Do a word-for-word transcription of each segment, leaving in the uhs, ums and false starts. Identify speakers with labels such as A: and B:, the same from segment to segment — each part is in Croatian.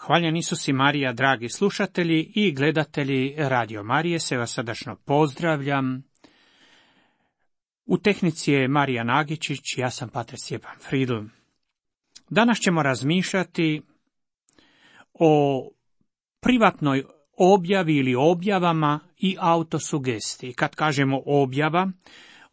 A: Hvaljen Isus i Marija, dragi slušatelji i gledatelji Radio Marije, se vas srdačno pozdravljam. U tehnici je Marija Nagičić, ja sam pater Stjepan Fridl. Danas ćemo razmišljati o privatnoj objavi ili objavama i autosugestiji. Kad kažemo objava,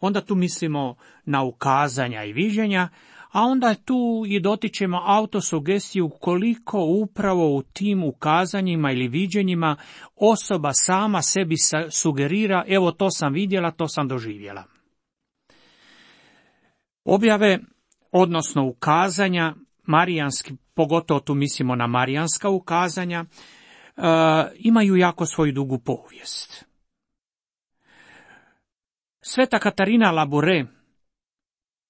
A: onda tu mislimo na ukazanja i viđenja, a onda tu i dotičemo autosugestiju koliko upravo u tim ukazanjima ili viđenjima osoba sama sebi sugerira, evo to sam vidjela, to sam doživjela. Objave, odnosno ukazanja, marijanski, pogotovo tu mislimo na marijanska ukazanja, e, imaju jako svoju dugu povijest. Sveta Katarina Labure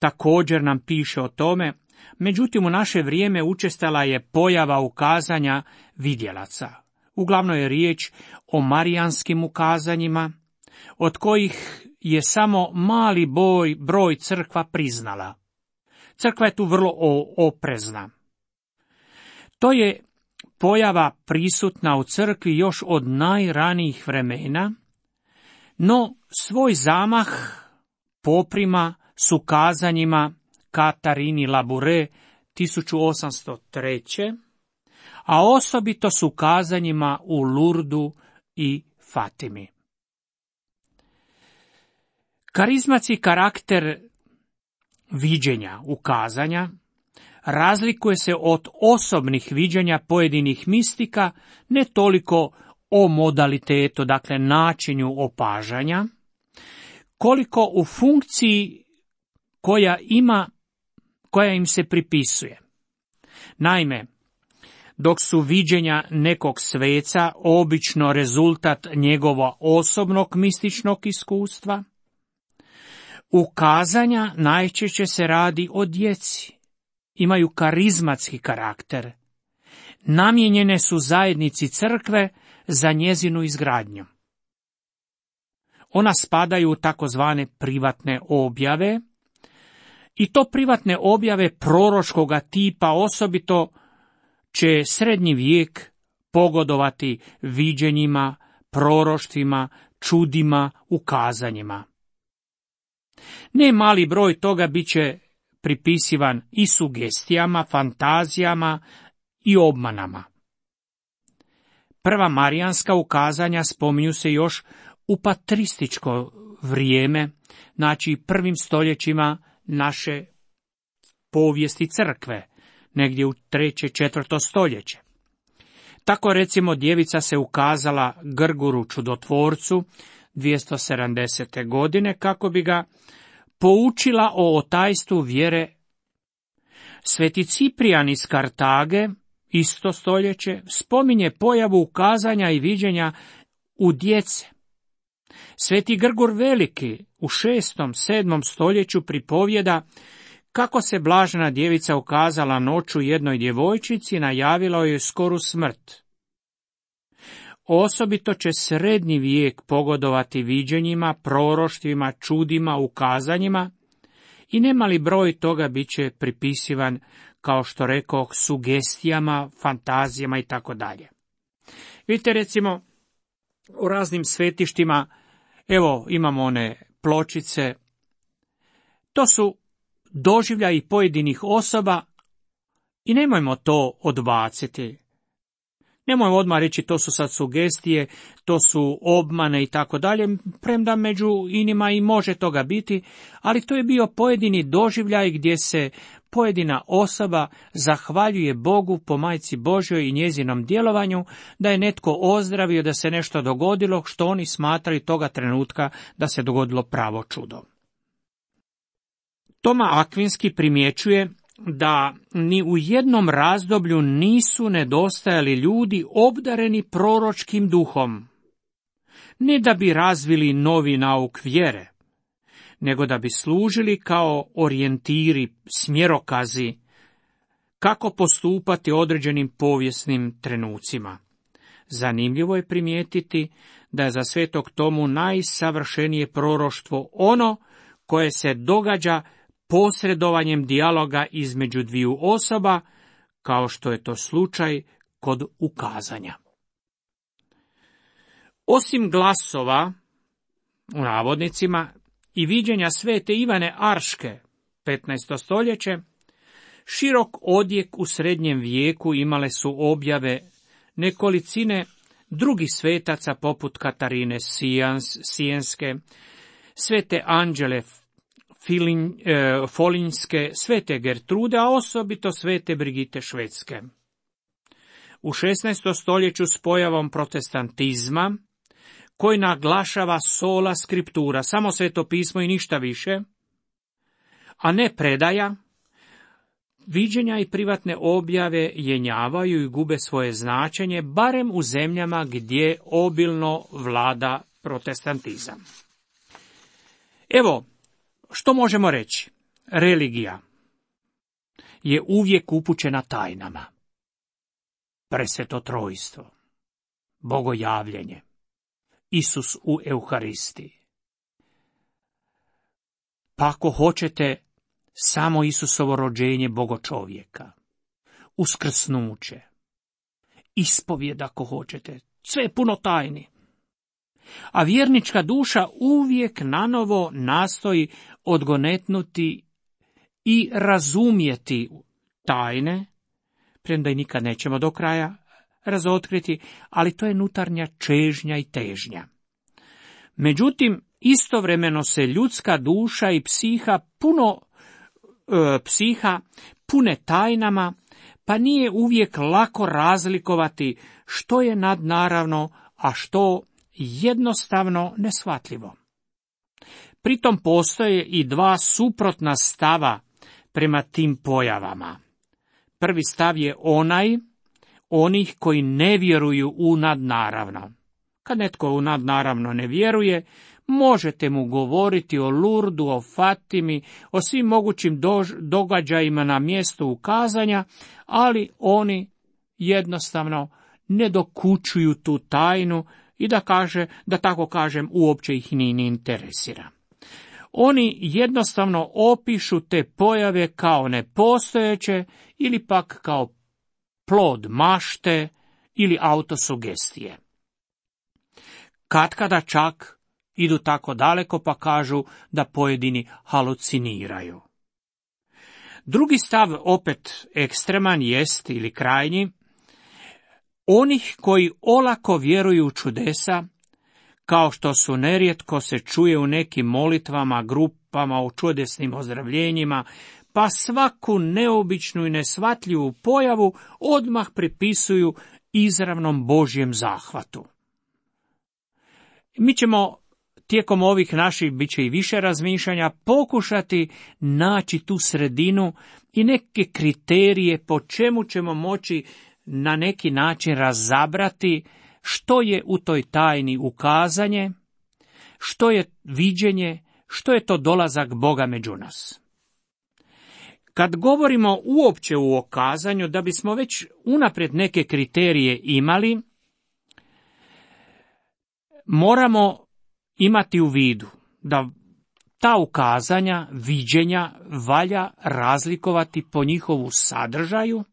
A: također nam piše o tome, međutim u naše vrijeme učestala je pojava ukazanja vidjelaca. Uglavnom je riječ o marijanskim ukazanjima, od kojih je samo mali broj, broj crkva priznala. Crkva je tu vrlo oprezna. To je pojava prisutna u crkvi još od najranijih vremena, no svoj zamah poprima s ukazanjima Katarini Labure tisuću osamsto treće. a osobito s ukazanjima u Lurdu i Fatimi. Karizmatski karakter viđenja, ukazanja, razlikuje se od osobnih viđenja pojedinih mistika ne toliko o modalitetu, dakle načinu opažanja, koliko u funkciji koja ima, koja im se pripisuje. Naime, dok su viđenja nekog sveca obično rezultat njegova osobnog mističnog iskustva, ukazanja najčešće se radi o djeci, imaju karizmatski karakter, namijenjene su zajednici crkve za njezinu izgradnju. Ona spadaju u takozvane privatne objave, i to privatne objave proročkoga tipa, osobito će srednji vijek pogodovati viđenjima, proroštvima, čudima, ukazanjima. Ne mali broj toga bit će pripisivan i sugestijama, fantazijama i obmanama. Prva marijanska ukazanja spominju se još u patrističko vrijeme, znači prvim stoljećima naše povijesti crkve, negdje u treće, četvrto stoljeće. Tako recimo djevica se ukazala Grguru čudotvorcu dvjesto sedamdesete godine kako bi ga poučila o otajstvu vjere. Sveti Ciprijan iz Kartage, isto stoljeće, spominje pojavu ukazanja i viđenja u djece. Sveti Grgur Veliki u šestom, sedmom stoljeću pripovjeda kako se blažena djevica ukazala noću jednoj djevojčici i najavila joj skoru smrt. Osobito će srednji vijek pogodovati viđenjima, proroštvima, čudima, ukazanjima i nemali broj toga bit će pripisivan, kao što rekoh, sugestijama, fantazijama i tako dalje. Vidite recimo u raznim svetištima, evo imamo one pločice, to su doživljaji pojedinih osoba i nemojmo to odbaciti. Nemojmo odmah reći to su sad sugestije, to su obmane i tako dalje, premda među inima i može toga biti, ali to je bio pojedini doživljaj gdje se pojedina osoba zahvaljuje Bogu po Majci Božjoj i njezinom djelovanju, da je netko ozdravio, da se nešto dogodilo što oni smatraju toga trenutka da se dogodilo pravo čudo. Toma Akvinski primjećuje da ni u jednom razdoblju nisu nedostajali ljudi obdareni proročkim duhom, ne da bi razvili novi nauk vjere, nego da bi služili kao orijentiri, smjerokazi, kako postupati određenim povijesnim trenucima. Zanimljivo je primijetiti da je za svetog Tomu najsavršenije proroštvo ono koje se događa posredovanjem dijaloga između dviju osoba, kao što je to slučaj kod ukazanja. Osim glasova, u navodnicima, i viđenja svete Ivane Arške, petnaesto stoljeće, širok odjek u srednjem vijeku imale su objave nekolicine drugih svetaca poput Katarine Sijans, Sijenske, svete Anđele Filin, e, Folinjske, svete Gertrude, a osobito svete Brigite Švedske. U šesnaestom stoljeću s pojavom protestantizma, koji naglašava sola skriptura, samo sveto pismo i ništa više, a ne predaja, viđenja i privatne objave jenjavaju i gube svoje značenje, barem u zemljama gdje obilno vlada protestantizam. Evo, što možemo reći? Religija je uvijek upućena tajnama. Presveto trojstvo, bogojavljenje, Isus u Euharistiji. Pa ako hoćete, samo Isusovo rođenje bogočovjeka, uskrsnuće, ispovijed ako hoćete, sve je puno tajni. A vjernička duša uvijek nanovo nastoji odgonetnuti i razumjeti tajne, premda i nikad nećemo do kraja razotkriti, ali to je unutarnja čežnja i težnja. Međutim, istovremeno se ljudska duša i psiha puno e, psiha pune tajnama, pa nije uvijek lako razlikovati što je nadnaravno, a što jednostavno neshvatljivo. Pritom postoje i dva suprotna stava prema tim pojavama. Prvi stav je onaj onih koji ne vjeruju u nadnaravno. Kad netko u nadnaravno ne vjeruje, možete mu govoriti o Lurdu, o Fatimi, o svim mogućim događajima na mjestu ukazanja, ali oni jednostavno ne dokučuju tu tajnu i da kaže, da tako kažem, uopće ih ni ne interesira. Oni jednostavno opišu te pojave kao nepostojeće ili pak kao plod mašte ili autosugestije. Katkada čak idu tako daleko pa kažu da pojedini haluciniraju. Drugi stav, opet ekstreman, jest ili krajnji, onih koji olako vjeruju u čudesa, kao što su nerijetko se čuje u nekim molitvama, grupama o čudesnim ozdravljenjima, pa svaku neobičnu i nesvatljivu pojavu odmah pripisuju izravnom Božjem zahvatu. Mi ćemo tijekom ovih naših, bit će i više razmišljanja, pokušati naći tu sredinu i neke kriterije po čemu ćemo moći na neki način razabrati što je u toj tajni ukazanje, što je viđenje, što je to dolazak Boga među nas. Kad govorimo uopće u okazanju, da bismo već unaprijed neke kriterije imali, moramo imati u vidu da ta ukazanja, viđenja valja razlikovati po njihovu sadržaju,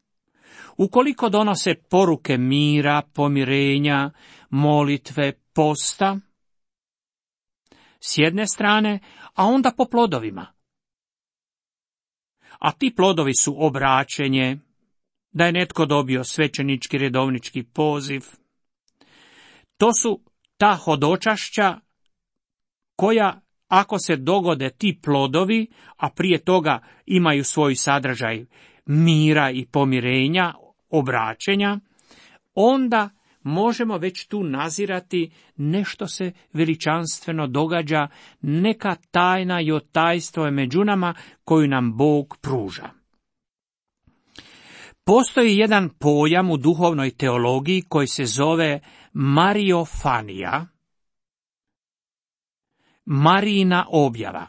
A: ukoliko donose poruke mira, pomirenja, molitve, posta, s jedne strane, a onda po plodovima. A ti plodovi su obraćenje, da je netko dobio svećenički redovnički poziv. To su ta hodočašća koja, ako se dogode ti plodovi, a prije toga imaju svoj sadržaj mira i pomirenja, obraćenja, onda možemo već tu nazirati nešto se veličanstveno događa, neka tajna i otajstvo je među nama koju nam Bog pruža. Postoji jedan pojam u duhovnoj teologiji koji se zove Mariofanija, Marijina objava,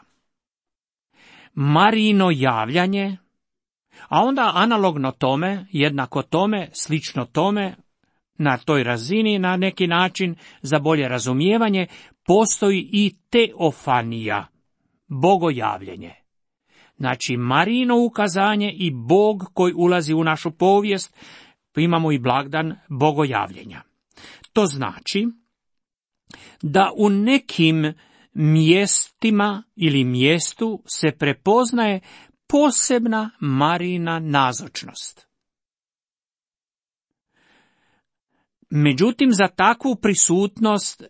A: Marijino javljanje, a onda analogno tome, jednako tome, slično tome, na toj razini, na neki način, za bolje razumijevanje, postoji i teofanija, bogojavljenje. Znači, Marijino ukazanje i Bog koji ulazi u našu povijest, imamo i blagdan bogojavljenja. To znači da u nekim mjestima ili mjestu se prepoznaje posebna Marijina nazočnost. Međutim, za takvu prisutnost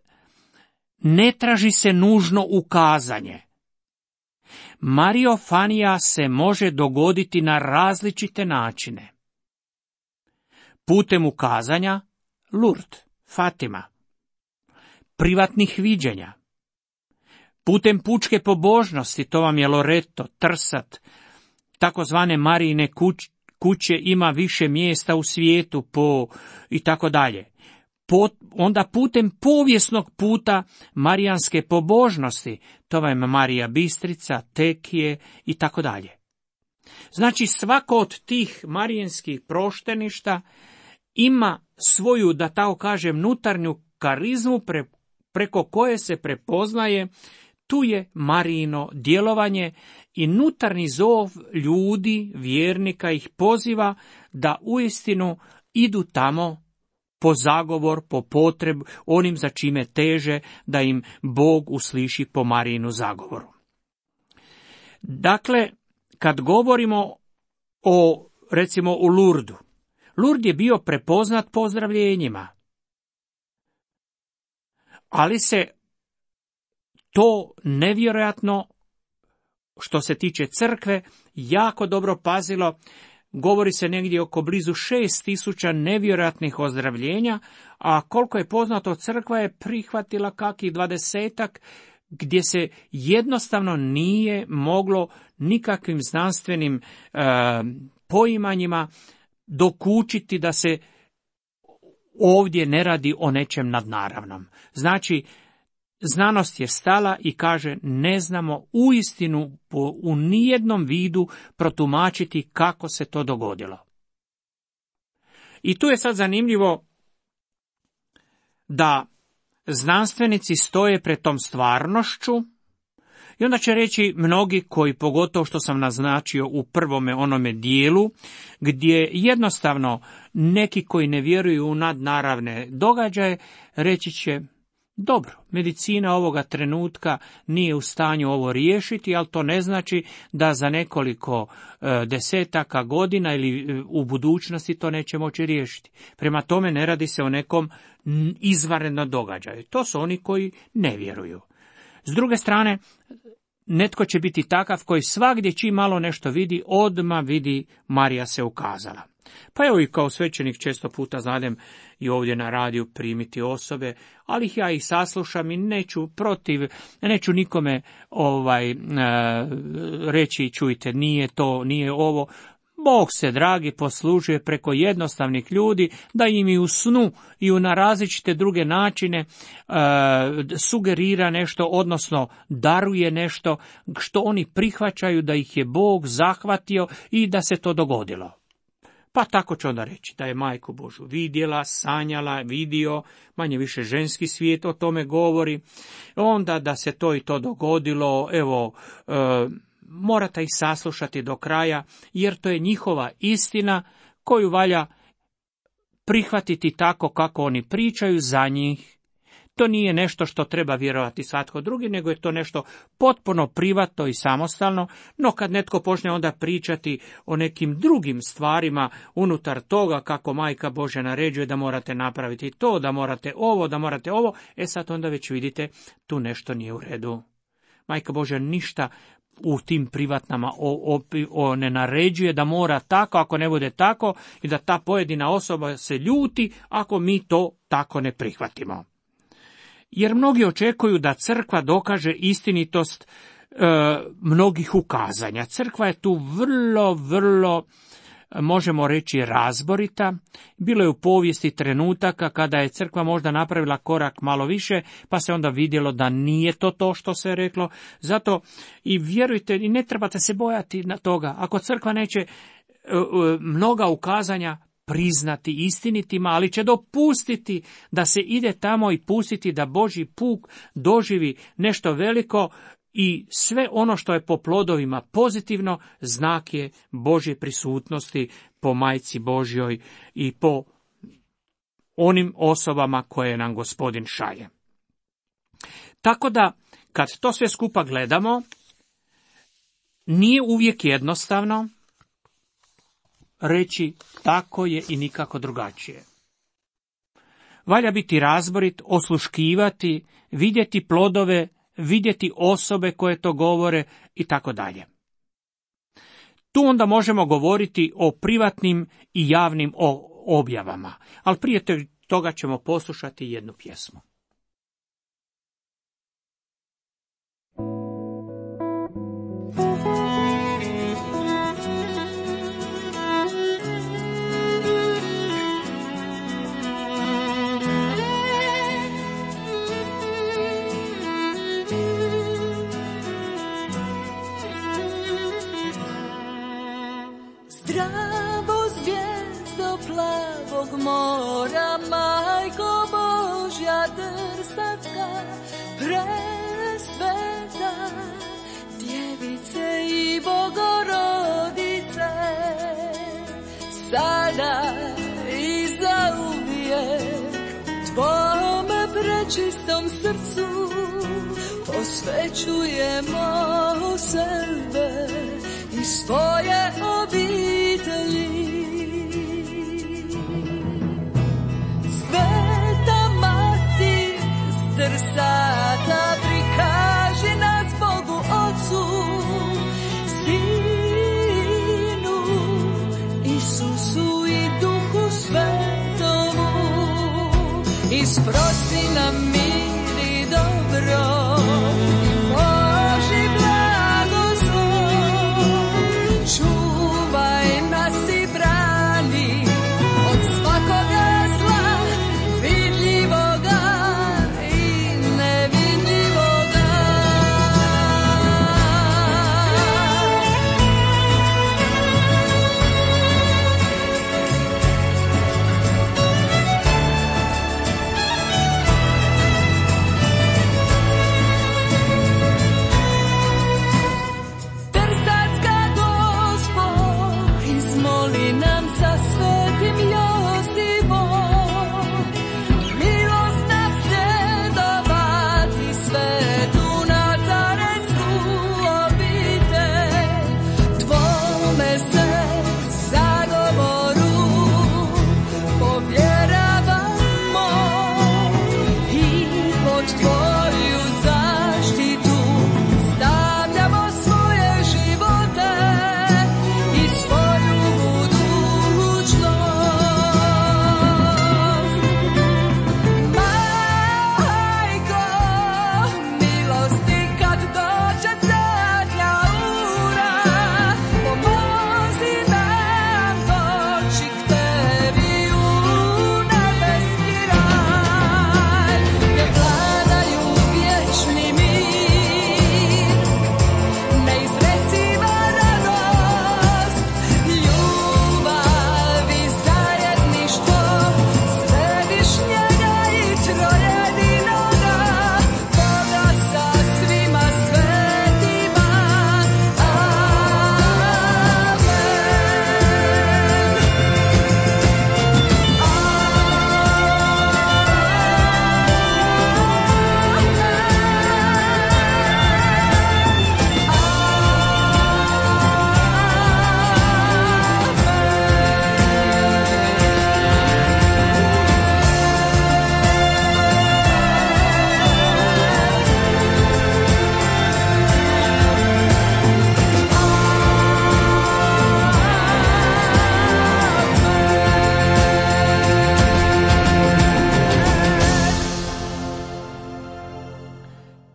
A: ne traži se nužno ukazanje. Mariofanija se može dogoditi na različite načine. Putem ukazanja, Lurd, Fatima, privatnih viđenja, putem pučke pobožnosti, to vam je Loreto, Trsat, takozvane Marijine kuć, kuće ima više mjesta u svijetu po i tako dalje. Onda putem povijesnog puta marijanske pobožnosti, to vam je Marija Bistrica, Tekije i tako dalje. Znači svako od tih marijanskih prošteništa ima svoju, da tako kažem, unutarnju karizmu pre, preko koje se prepoznaje tu je Marijino djelovanje i unutarnji zov ljudi, vjernika ih poziva da uistinu idu tamo po zagovor, po potrebu, onim za čime teže, da im Bog usliši po Marijinu zagovoru. Dakle, kad govorimo o, recimo, u Lurdu, Lurd je bio prepoznat pozdravljenjima, ali se to nevjerojatno, što se tiče crkve, jako dobro pazilo. Govori se negdje oko blizu šest tisuća nevjerojatnih ozdravljenja, a koliko je poznato, crkva je prihvatila kakih dvadesetak, gdje se jednostavno nije moglo nikakvim znanstvenim e, poimanjima dokučiti da se ovdje ne radi o nečem nadnaravnom. Znači, znanost je stala i kaže ne znamo uistinu po, u nijednom vidu protumačiti kako se to dogodilo. I tu je sad zanimljivo da znanstvenici stoje pred tom stvarnošću i onda će reći mnogi koji, pogotovo što sam naznačio u prvome onome dijelu, gdje jednostavno neki koji ne vjeruju u nadnaravne događaje, reći će dobro, medicina ovoga trenutka nije u stanju ovo riješiti, ali to ne znači da za nekoliko e, desetaka godina ili e, u budućnosti to neće moći riješiti. Prema tome ne radi se o nekom izvanrednom događaju. To su oni koji ne vjeruju. S druge strane, netko će biti takav koji svagdje čim malo nešto vidi, odmah vidi Marija se ukazala. Pa evo i kao svećenik često puta znadem i ovdje na radiju primiti osobe, ali ja ih saslušam i neću protiv, neću nikome ovaj e, reći čujte nije to, nije ovo. Bog se, dragi, poslužuje preko jednostavnih ljudi da im i u snu i u na različite druge načine e, sugerira nešto, odnosno daruje nešto što oni prihvaćaju da ih je Bog zahvatio i da se to dogodilo. Pa tako će onda reći da je Majku Božju vidjela, sanjala, vidio, manje više ženski svijet o tome govori, onda da se to i to dogodilo, evo, e, morate ih saslušati do kraja, jer to je njihova istina koju valja prihvatiti tako kako oni pričaju za njih. To nije nešto što treba vjerovati svatko drugi, nego je to nešto potpuno privatno i samostalno, no kad netko počne onda pričati o nekim drugim stvarima unutar toga kako Majka Božja naređuje da morate napraviti to, da morate ovo, da morate ovo, e sad onda već vidite tu nešto nije u redu. Majka Božja ništa u tim privatnama o, o, o ne naređuje da mora tako, ako ne bude tako, i da ta pojedina osoba se ljuti ako mi to tako ne prihvatimo. Jer mnogi očekuju da crkva dokaže istinitost e, mnogih ukazanja. Crkva je tu vrlo, vrlo, možemo reći, razborita. Bilo je u povijesti trenutaka kada je crkva možda napravila korak malo više, pa se onda vidjelo da nije to to što se reklo. Zato i vjerujte, i ne trebate se bojati na toga. Ako crkva neće e, e, mnoga ukazanja priznati istinitima, ali će dopustiti da se ide tamo i pustiti da Božji puk doživi nešto veliko i sve ono što je po plodovima pozitivno, znak je Božje prisutnosti po Majci Božjoj i po onim osobama koje nam Gospodin šalje. Tako da, kad to sve skupa gledamo, nije uvijek jednostavno reći tako je i nikako drugačije. Valja biti razborit, osluškivati, vidjeti plodove, vidjeti osobe koje to govore i tako dalje. Tu onda možemo govoriti o privatnim i javnim objavama, ali prije toga ćemo poslušati jednu pjesmu.
B: Zdravo zvijezdo plavog mora, Majko Božja Trsatska, presveta Djevice i Bogorodice, sada i zauvijek tvome prečistom srcu posvećujemo sebe i svoje obitelji. Sveta Mati s Trsata, prikaži nas Bogu Otcu, Sinu, Isusu i Duhu Svetomu, i sprosi nam mir i dobro.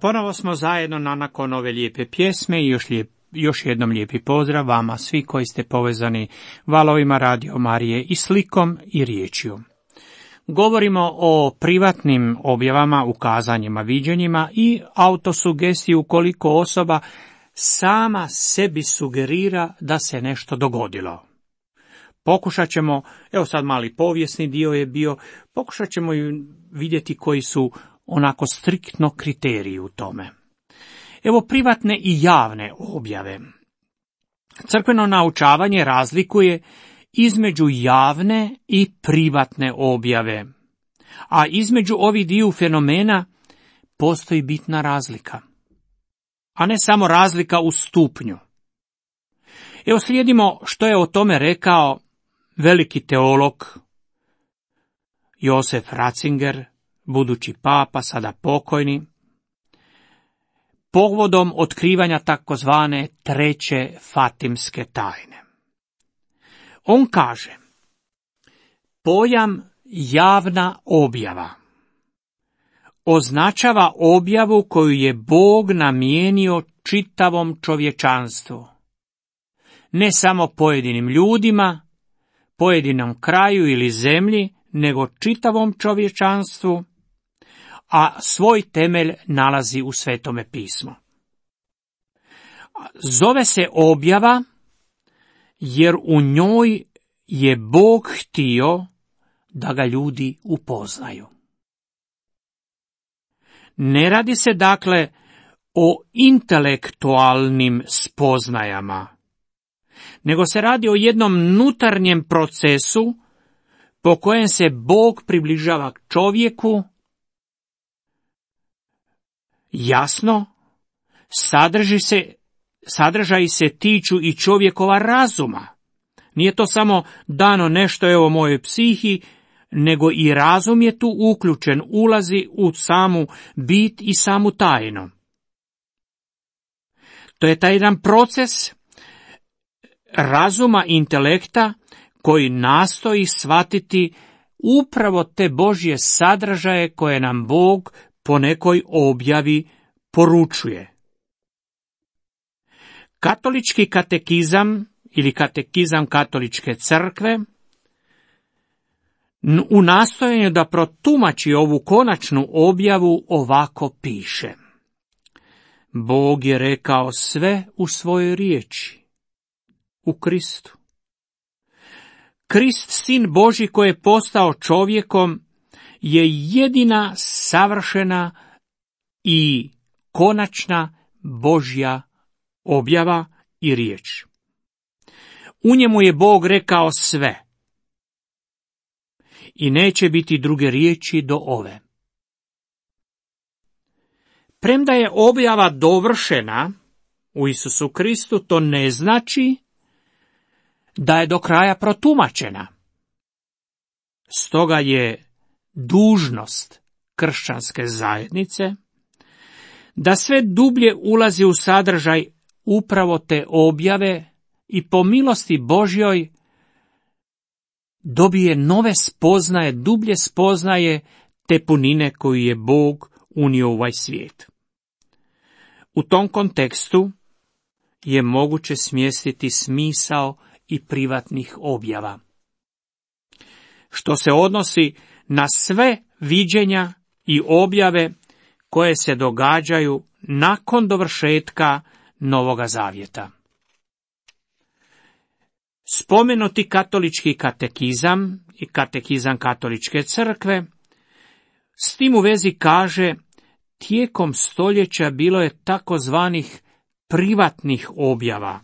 A: Ponovo smo zajedno na nakon ove lijepe pjesme i još, lijep, još jednom lijepi pozdrav vama svi koji ste povezani valovima Radio Marije i slikom i riječju. Govorimo o privatnim objavama, ukazanjima, viđenjima i autosugestiji ukoliko osoba sama sebi sugerira da se nešto dogodilo. Pokušat ćemo, evo sad mali povijesni dio je bio, pokušat ćemo vidjeti koji su onako striktno kriteriji u tome. Evo privatne i javne objave. Crkveno naučavanje razlikuje između javne i privatne objave, a između ovih dviju fenomena postoji bitna razlika, a ne samo razlika u stupnju. Evo slijedimo što je o tome rekao veliki teolog Josef Ratzinger, budući papa, sada pokojni, povodom otkrivanja takozvane treće fatimske tajne. On kaže, pojam javna objava označava objavu koju je Bog namijenio čitavom čovječanstvu, ne samo pojedinim ljudima, pojedinom kraju ili zemlji, nego čitavom čovječanstvu, a svoj temelj nalazi u Svetome pismu. Zove se objava jer u njoj je Bog htio da ga ljudi upoznaju. Ne radi se dakle o intelektualnim spoznajama, nego se radi o jednom unutarnjem procesu po kojem se Bog približava čovjeku. Jasno, sadrži se, sadržaji se tiču i čovjekova razuma. Nije to samo dano nešto evo mojoj psihi, nego i razum je tu uključen, ulazi u samu bit i samu tajnu. To je taj jedan proces razuma intelekta koji nastoji shvatiti upravo te Božje sadržaje koje nam Bog po nekoj objavi poručuje. Katolički katekizam ili katekizam katoličke crkve u nastojanju da protumači ovu konačnu objavu ovako piše. Bog je rekao sve u svojoj riječi, u Kristu. Krist, sin Božji koji je postao čovjekom, je jedina savršena i konačna Božja objava i riječ. U njemu je Bog rekao sve i neće biti druge riječi do ove. Premda je objava dovršena u Isusu Kristu, to ne znači da je do kraja protumačena. Stoga je dužnost kršćanske zajednice da sve dublje ulazi u sadržaj upravo te objave i po milosti Božjoj dobije nove spoznaje, dublje spoznaje te punine koju je Bog unio u ovaj svijet. U tom kontekstu je moguće smjestiti smisao i privatnih objava, što se odnosi na sve viđenja i objave koje se događaju nakon dovršetka Novoga Zavjeta. Spomenuti katolički katekizam i katekizam katoličke crkve s tim u vezi kaže, tijekom stoljeća bilo je takozvanih privatnih objava.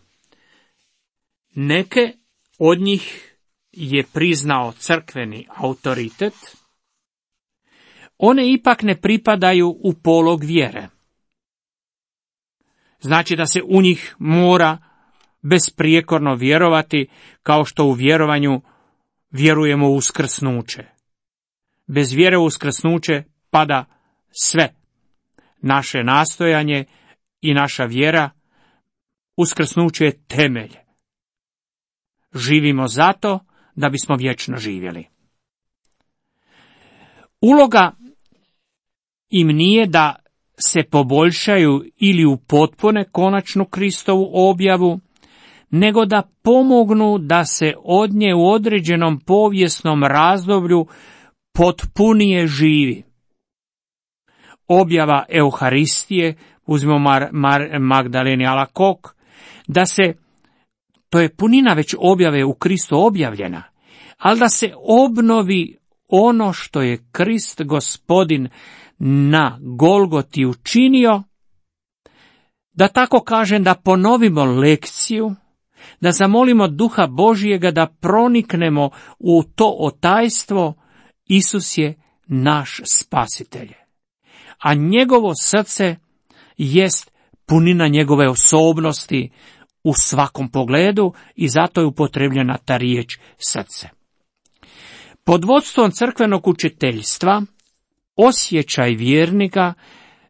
A: Neke od njih je priznao crkveni autoritet, one ipak ne pripadaju u polog vjere. Znači da se u njih mora besprijekorno vjerovati, kao što u vjerovanju vjerujemo u uskrsnuće. Bez vjere u uskrsnuće pada sve. Naše nastojanje i naša vjera, uskrsnuće je temelj. Živimo zato da bismo vječno živjeli. Uloga im nije da se poboljšaju ili upotpune konačnu Kristovu objavu, nego da pomognu da se od nje u određenom povijesnom razdoblju potpunije živi. Objava Euharistije, uzmimo Mar, Mar, Magdaleni Alakok, da se, to je punina već objave u Kristu objavljena, ali da se obnovi ono što je Krist Gospodin na Golgoti učinio, da tako kažem, da ponovimo lekciju, da zamolimo Duha Božjega da proniknemo u to otajstvo. Isus je naš spasitelj, a njegovo srce jest punina njegove osobnosti u svakom pogledu i zato je upotrebljena ta riječ srce. Pod vodstvom crkvenog učiteljstva osjećaj vjernika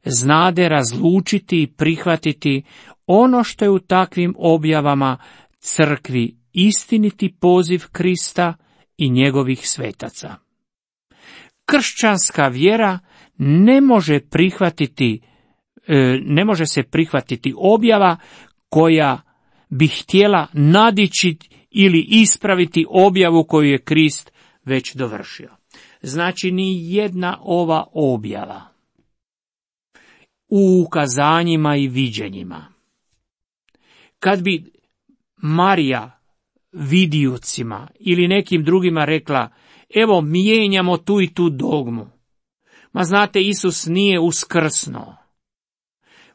A: znade razlučiti i prihvatiti ono što je u takvim objavama crkvi istiniti poziv Krista i njegovih svetaca. Kršćanska vjera ne može prihvatiti, ne može se prihvatiti objava koja bi htjela nadići ili ispraviti objavu koju je Krist već dovršio. Znači, ni jedna ova objava u ukazanjima i viđenjima, kad bi Marija vidijucima ili nekim drugima rekla, evo mijenjamo tu i tu dogmu. Ma znate, Isus nije uskrsnuo.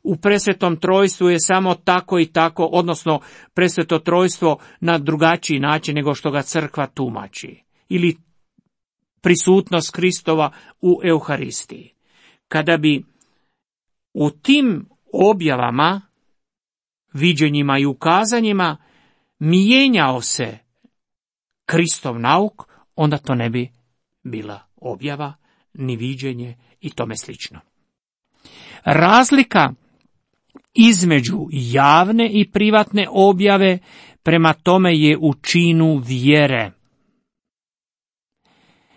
A: U presvetom trojstvu je samo tako i tako, odnosno presveto trojstvo na drugačiji način nego što ga crkva tumači. Ili prisutnost Kristova u Euharistiji. Kada bi u tim objavama, viđenjima i ukazanjima mijenjao se Kristov nauk, onda to ne bi bila objava, ni viđenje i tome slično. Razlika između javne i privatne objave prema tome je u činu vjere.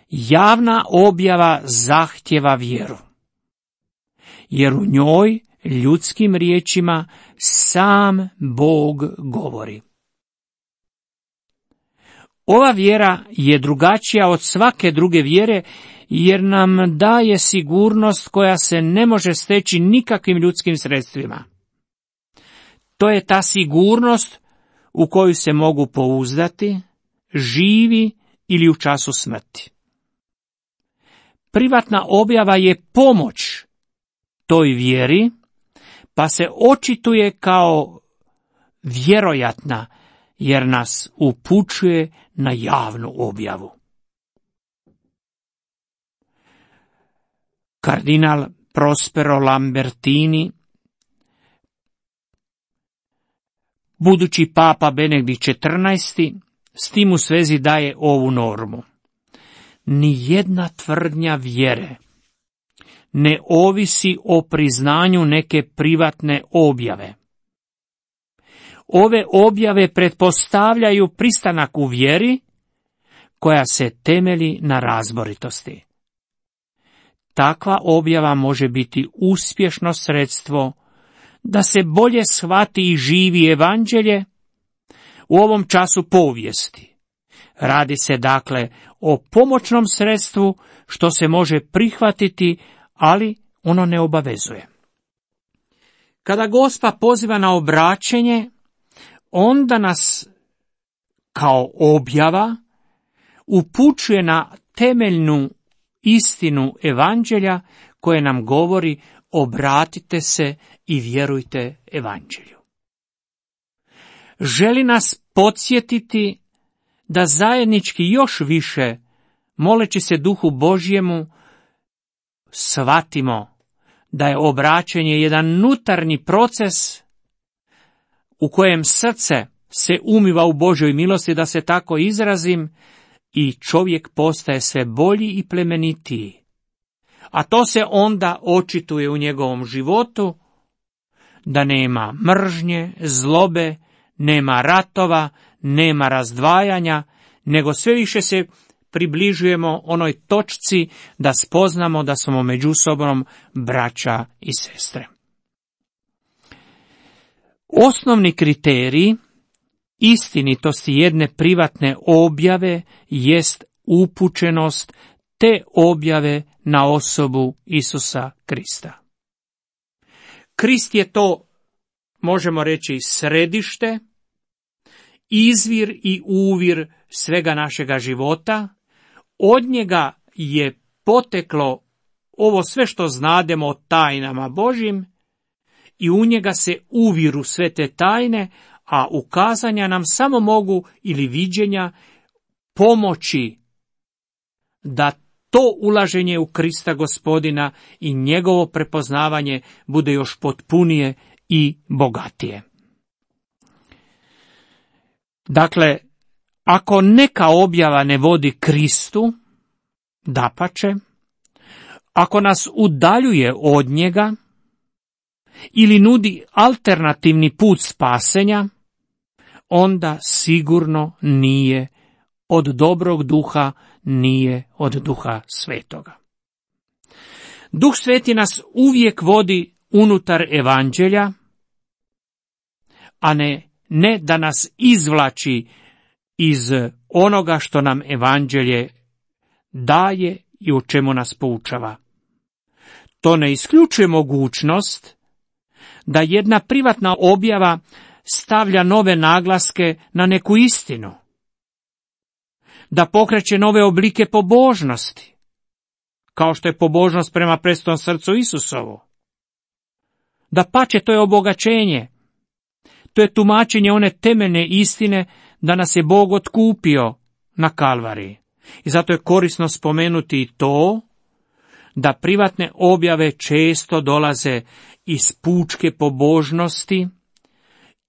A: Javna objava zahtjeva vjeru, jer u njoj ljudskim riječima sam Bog govori. Ova vjera je drugačija od svake druge vjere, jer nam daje sigurnost koja se ne može steći nikakvim ljudskim sredstvima. To je ta sigurnost u koju se mogu pouzdati, živi ili u času smrti. Privatna objava je pomoć toj vjeri, pa se očituje kao vjerojatna, jer nas upućuje na javnu objavu. Kardinal Prospero Lambertini, budući papa Benedikt četrnaesti, s tim u svezi daje ovu normu. Nijedna tvrdnja vjere ne ovisi o priznanju neke privatne objave. Ove objave pretpostavljaju pristanak u vjeri koja se temelji na razboritosti. Takva objava može biti uspješno sredstvo da se bolje shvati i živi evanđelje u ovom času povijesti. Radi se dakle o pomoćnom sredstvu što se može prihvatiti, ali ono ne obavezuje. Kada Gospa poziva na obraćenje, onda nas kao objava upućuje na temeljnu istinu evanđelja koje nam govori obratite se i vjerujte evanđelju. Želi nas podsjetiti da zajednički još više, moleći se Duhu Božjemu, shvatimo da je obraćanje jedan unutarnji proces u kojem srce se umiva u Božjoj milosti, da se tako izrazim, i čovjek postaje sve bolji i plemenitiji. A to se onda očituje u njegovom životu, da nema mržnje, zlobe, nema ratova, nema razdvajanja, nego sve više se približujemo onoj točci da spoznamo da smo međusobnom braća i sestre. Osnovni kriterij istinitosti jedne privatne objave jest upućenost te objave na osobu Isusa Krista. Krist je to, možemo reći, središte, izvir i uvir svega našega života. Od njega je poteklo ovo sve što znademo o tajnama Božjim i u njega se uviru sve te tajne, a ukazanja nam samo mogu ili viđenja pomoći da to ulaženje u Krista Gospodina i njegovo prepoznavanje bude još potpunije i bogatije. Dakle, ako neka objava ne vodi Kristu, dapače, ako nas udaljuje od njega ili nudi alternativni put spasenja, onda sigurno nije od dobrog duha, nije od Duha Svetoga. Duh Sveti nas uvijek vodi unutar evanđelja, a ne, ne da nas izvlači iz onoga što nam evanđelje daje i u čemu nas poučava. To ne isključuje mogućnost da jedna privatna objava stavlja nove naglaske na neku istinu, da pokreće nove oblike pobožnosti, kao što je pobožnost prema presvetom srcu Isusovu. Da pače, to je obogaćenje, to je tumačenje one temeljne istine da nas je Bog otkupio na Kalvariji. I zato je korisno spomenuti i to da privatne objave često dolaze iz pučke pobožnosti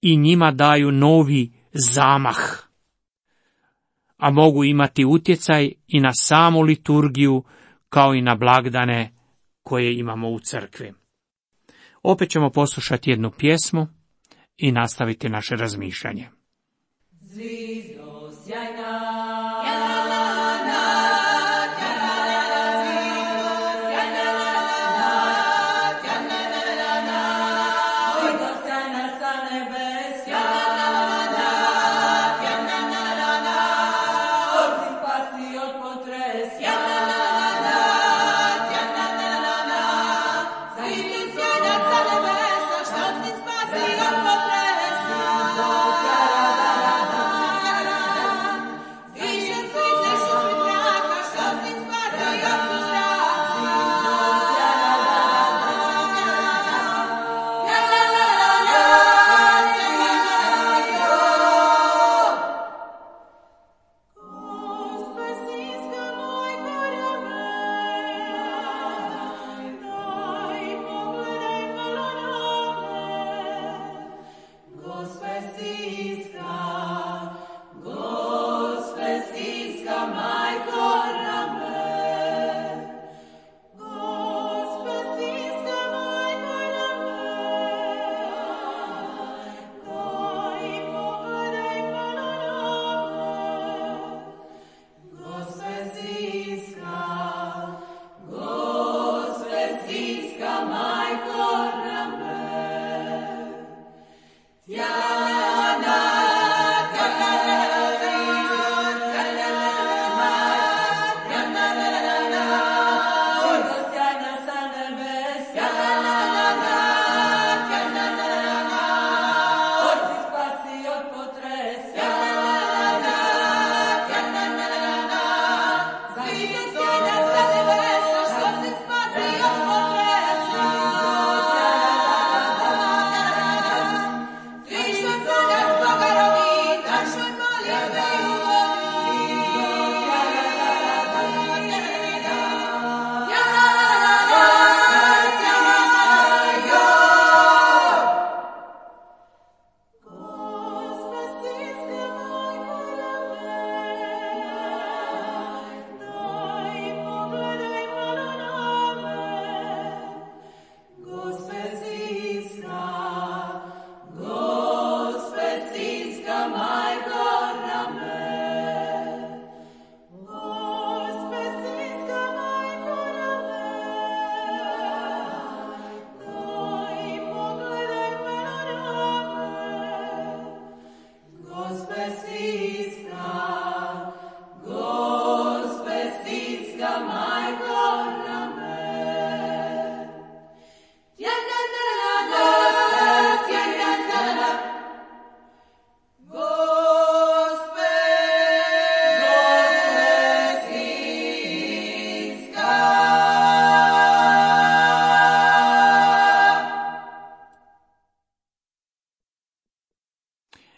A: i njima daju novi zamah, a mogu imati utjecaj i na samu liturgiju kao i na blagdane koje imamo u crkvi. Opet ćemo poslušati jednu pjesmu i nastaviti naše razmišljanje.
B: Zvizdo sjajna,
C: Viže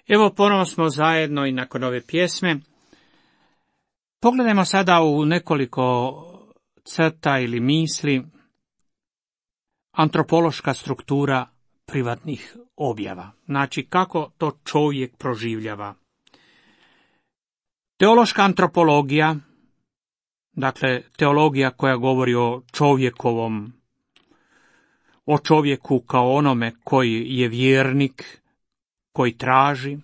A: Evo, ponovo smo zajedno i nakon ove pjesme. Pogledajmo sada u nekoliko crta ili misli antropološka struktura privatnih objava. Znači, kako to čovjek proživljava. Teološka antropologija, dakle, teologija koja govori o čovjekovom, o čovjeku kao onome koji je vjernik, koji traži,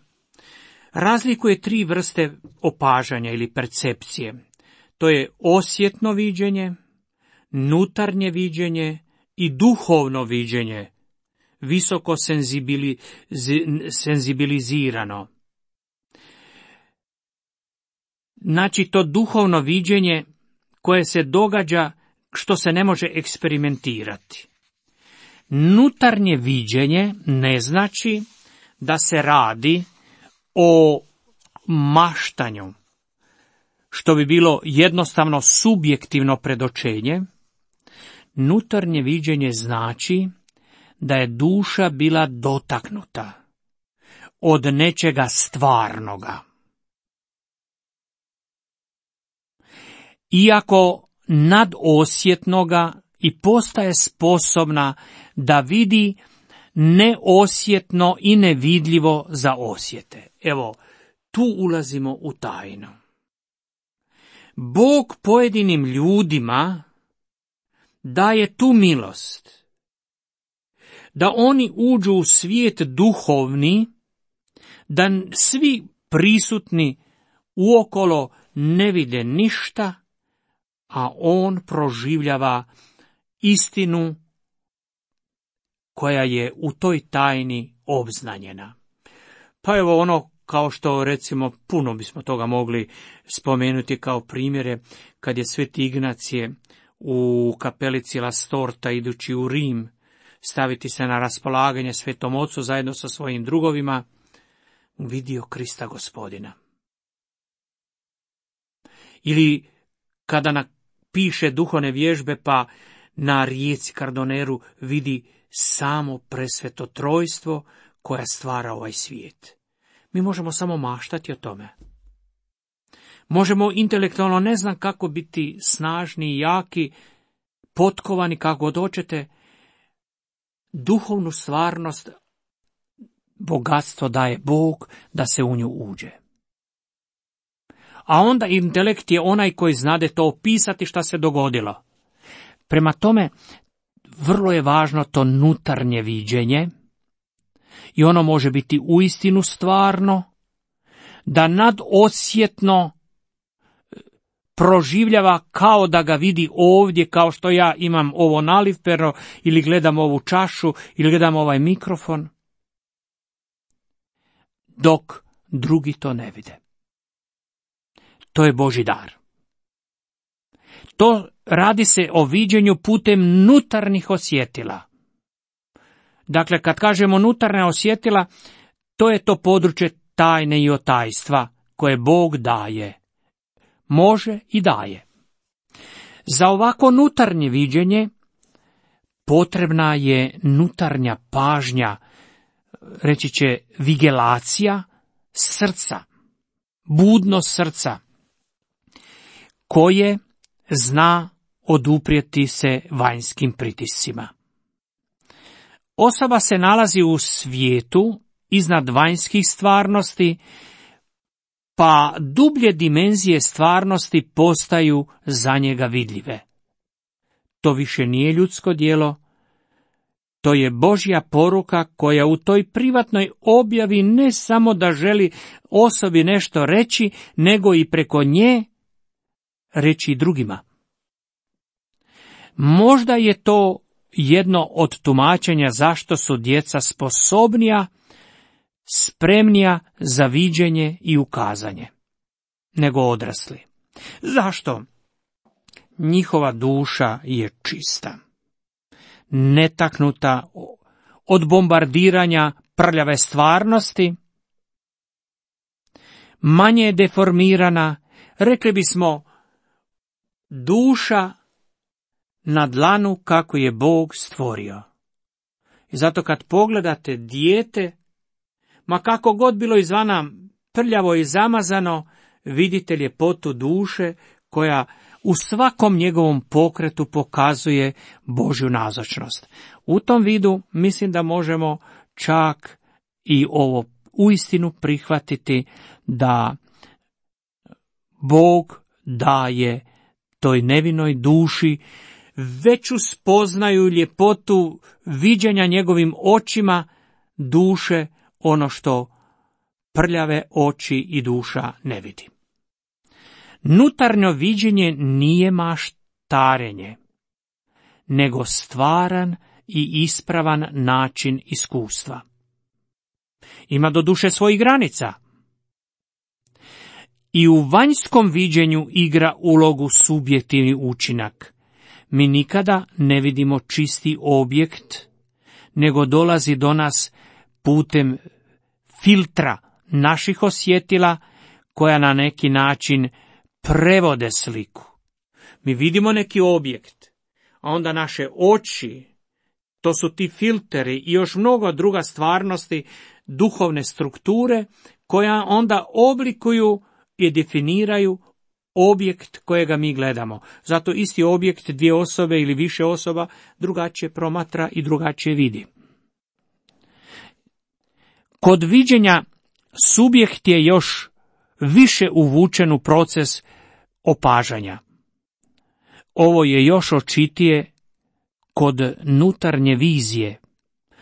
A: razlikuje tri vrste opažanja ili percepcije. To je osjetno viđenje, nutarnje viđenje i duhovno viđenje, visoko senzibili, senzibilizirano. Znači, to duhovno viđenje koje se događa, što se ne može eksperimentirati. Nutarnje viđenje ne znači da se radi o maštanju, što bi bilo jednostavno subjektivno predočenje. Nutarnje viđenje znači da je duša bila dotaknuta od nečega stvarnoga. Iako nadosjetnoga i postaje sposobna da vidi neosjetno i nevidljivo za osjete. Evo, tu ulazimo u tajnu. Bog pojedinim ljudima daje tu milost, da oni uđu u svijet duhovni, da svi prisutni uokolo ne vide ništa, a on proživljava istinu koja je u toj tajni obznanjena. Pa evo ono, kao što recimo puno bismo toga mogli spomenuti kao primjere, kad je Sveti Ignacije u kapelici La Storta idući u Rim staviti se na raspolaganje Svetom Ocu zajedno sa svojim drugovima, vidio Krista Gospodina. Ili kada napiše duhovne vježbe pa na rijeci Kardoneru vidi samo presveto trojstvo koja stvara ovaj svijet. Mi možemo samo maštati o tome. Možemo intelektualno ne znam kako biti snažni i jaki, potkovani kako god hoćete. Duhovnu stvarnost, bogatstvo daje Bog da se u nju uđe. A onda intelekt je onaj koji znade to opisati šta se dogodilo. Prema tome, vrlo je važno to nutarnje viđenje i ono može biti uistinu stvarno, da nadosjetno proživljava kao da ga vidi ovdje, kao što ja imam ovo nalivpero ili gledam ovu čašu ili gledam ovaj mikrofon, dok drugi to ne vide. To je Božji dar. To radi se o viđenju putem nutarnjih osjetila. Dakle, kad kažemo nutarnja osjetila, to je to područje tajne i otajstva koje Bog daje. Može i daje. Za ovako nutarnje viđenje potrebna je nutarnja pažnja, reći će vigelacija srca, budnost srca, koje zna oduprijeti se vanjskim pritiscima. Osoba se nalazi u svijetu iznad vanjskih stvarnosti, pa dublje dimenzije stvarnosti postaju za njega vidljive. To više nije ljudsko djelo, to je Božja poruka koja u toj privatnoj objavi ne samo da želi osobi nešto reći, nego i preko nje reći drugima. Možda je to jedno od tumačenja zašto su djeca sposobnija, spremnija za viđenje i ukazanje nego odrasli. Zašto? Njihova duša je čista, netaknuta od bombardiranja prljave stvarnosti, manje je deformirana, rekli bismo, duša na dlanu kako je Bog stvorio. I zato kad pogledate dijete, ma kako god bilo izvana prljavo i zamazano, vidite ljepotu duše koja u svakom njegovom pokretu pokazuje Božju nazočnost. U tom vidu mislim da možemo čak i ovo uistinu prihvatiti, da Bog daje toj nevinoj duši veću spoznaju ljepotu viđenja njegovim očima duše, ono što prljave oči i duša ne vidi. Nutarnjo viđenje nije maštarenje, nego stvaran i ispravan način iskustva. Ima do duše svojih granica. I u vanjskom viđenju igra ulogu subjektivni učinak. Mi nikada ne vidimo čisti objekt, nego dolazi do nas putem filtra naših osjetila koja na neki način prevode sliku. Mi vidimo neki objekt, a onda naše oči, to su ti filteri i još mnogo druga stvarnosti, duhovne strukture, koja onda oblikuju i definiraju objekt kojega mi gledamo. Zato isti objekt dvije osobe ili više osoba drugačije promatra i drugačije vidi. Kod viđenja subjekt je još više uvučen u proces opažanja. Ovo je još očitije kod nutarnje vizije,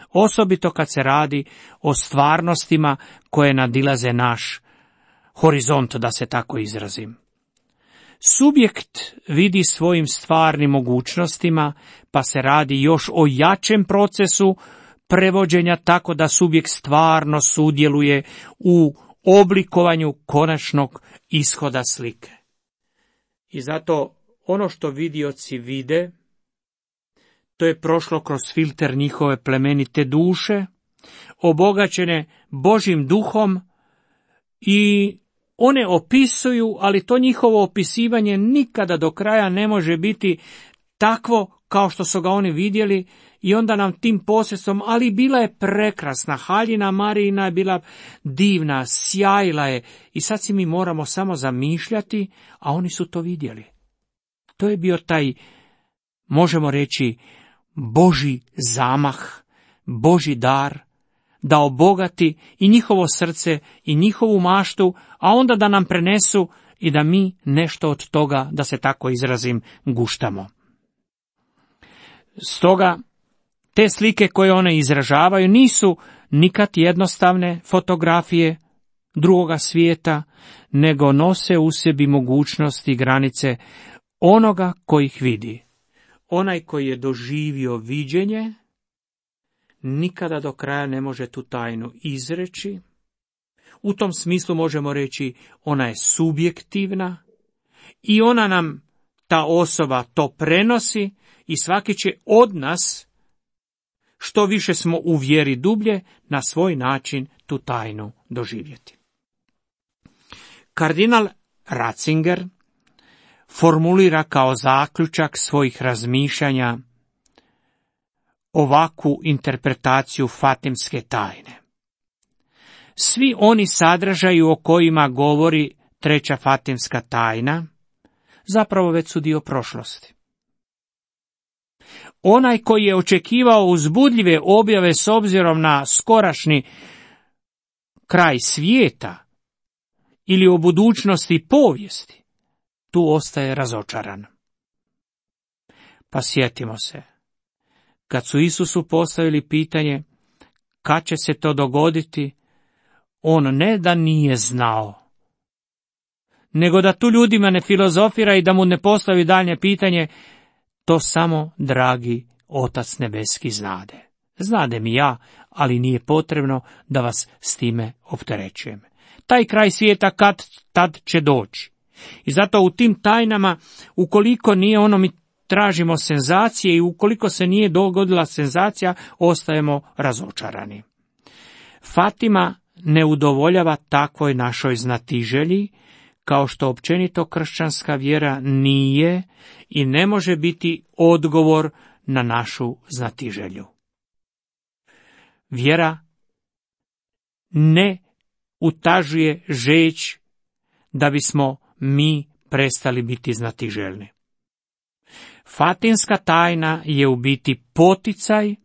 A: osobito kad se radi o stvarnostima koje nadilaze naš horizont, da se tako izrazim. Subjekt vidi svojim stvarnim mogućnostima, pa se radi još o jačem procesu prevođenja, tako da subjekt stvarno sudjeluje u oblikovanju konačnog ishoda slike. I zato ono što vidioci vide, to je prošlo kroz filter njihove plemenite duše, obogaćene Božjim duhom, i one opisuju, ali to njihovo opisivanje nikada do kraja ne može biti takvo kao što su ga oni vidjeli, i onda nam tim posredstvom, ali bila je prekrasna, haljina Marijina je bila divna, sjajila je, i sad si mi moramo samo zamišljati, a oni su to vidjeli. To je bio taj, možemo reći, Božji zamah, Božji dar, da obogati i njihovo srce i njihovu maštu, a onda da nam prenesu i da mi nešto od toga, da se tako izrazim, guštamo. Stoga, te slike koje one izražavaju nisu nikad jednostavne fotografije drugoga svijeta, nego nose u sebi mogućnosti i granice onoga koji ih vidi. Onaj koji je doživio viđenje nikada do kraja ne može tu tajnu izreći. U tom smislu možemo reći, ona je subjektivna i ona nam, ta osoba, to prenosi, i svaki će od nas, što više smo u vjeri dublje, na svoj način tu tajnu doživjeti. Kardinal Ratzinger formulira kao zaključak svojih razmišljanja ovakvu interpretaciju fatimske tajne. Svi oni sadržaji o kojima govori treća fatimska tajna zapravo već su dio prošlosti. Onaj koji je očekivao uzbudljive objave s obzirom na skorašnji kraj svijeta ili o budućnosti i povijesti, tu ostaje razočaran. Pa sjetimo se, kad su Isusu postavili pitanje kad će se to dogoditi, on ne da nije znao, nego da tu ljudima ne filozofira i da mu ne postavi daljnje pitanje, to samo dragi Otac nebeski znade. Znade mi ja, ali nije potrebno da vas s time opterećujem. Taj kraj svijeta kad tad će doći. I zato u tim tajnama, ukoliko nije ono, mi tražimo senzacije, i ukoliko se nije dogodila senzacija, ostajemo razočarani. Fatima ne udovoljava takvoj našoj znatiželji, kao što općenito kršćanska vjera nije i ne može biti odgovor na našu znatiželju. Vjera ne utažuje žeć da bismo mi prestali biti znatiželjni. Fatinska tajna je u biti poticaj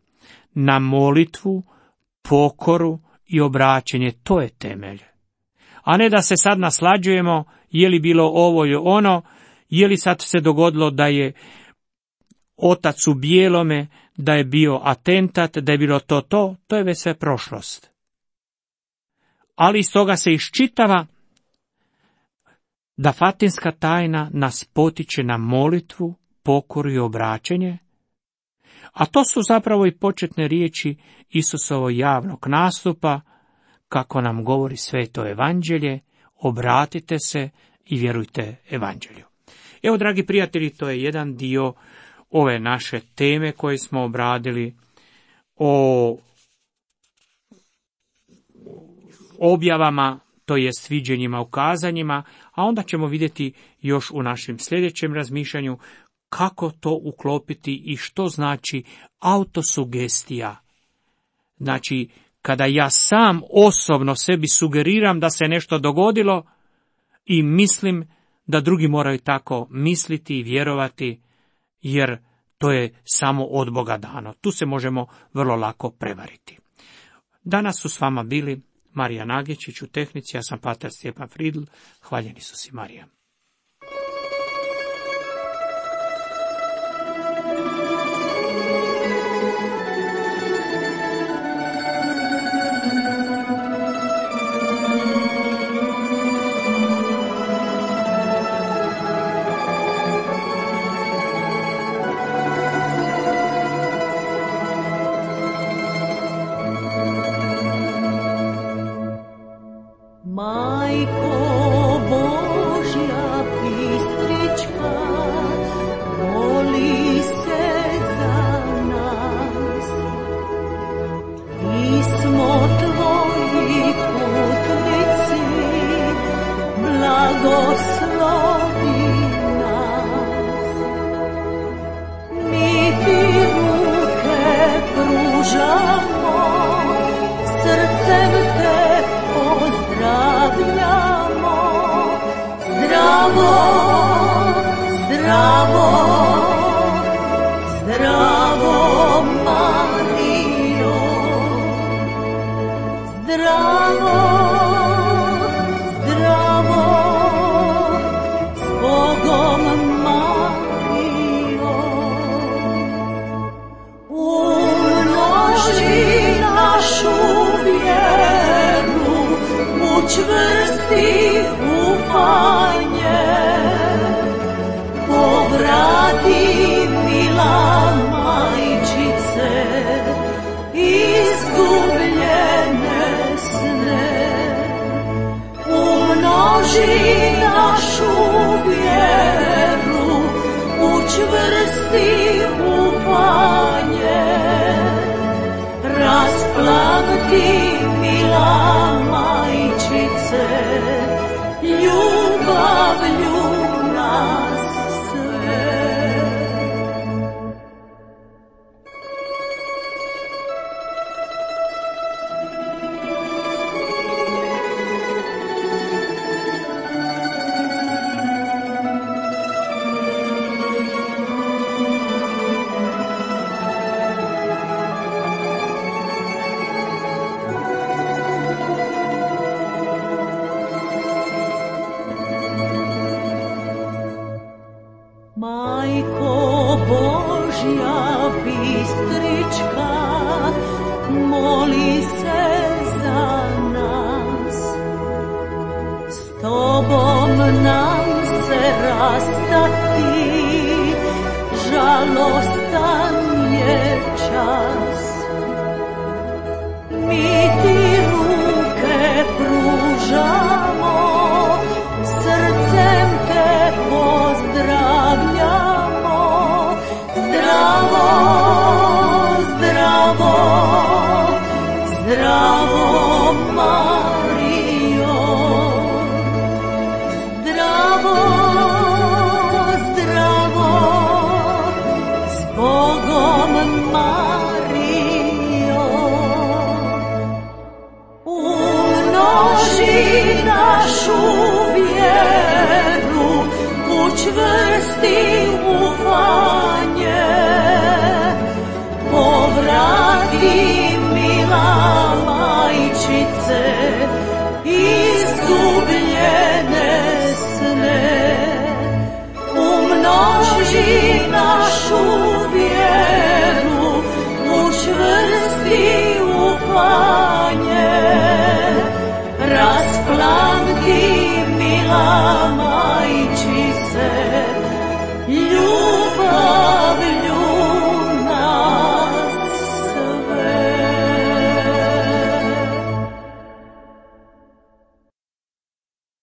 A: na molitvu, pokoru i obraćenje. To je temelj. A ne da se sad naslađujemo je li bilo ovo ili ono, je li sad se dogodilo da je otac u bijelome, da je bio atentat, da je bilo to to, to je već sve prošlost. Ali iz toga se iščitava da fatinska tajna nas potiče na molitvu, pokoru i obraćenje, a to su zapravo i početne riječi Isusovog javnog nastupa, kako nam govori Sveto evanđelje, obratite se i vjerujte evanđelju. Evo, dragi prijatelji, to je jedan dio ove naše teme koje smo obradili o objavama, to jest viđenjima, ukazanjima, a onda ćemo vidjeti još u našem sljedećem razmišljanju kako to uklopiti i što znači autosugestija. Znači, kada ja sam osobno sebi sugeriram da se nešto dogodilo i mislim da drugi moraju tako misliti i vjerovati, jer to je samo od Boga dano. Tu se možemo vrlo lako prevariti. Danas su s vama bili Marija Nagičić u tehnici, ja sam pater Stjepan Fridl, hvaljeni su si Marija.
B: Čvrsti ufanje, povrati mila majčice, izgubljene sne. Umnoži našu vjeru, učvrsti ufanje, rasplamti mila majčice, ljubavlju nas sve. Majko Božja bistrička, moli se za nas. S tobom nam se rastati, žalost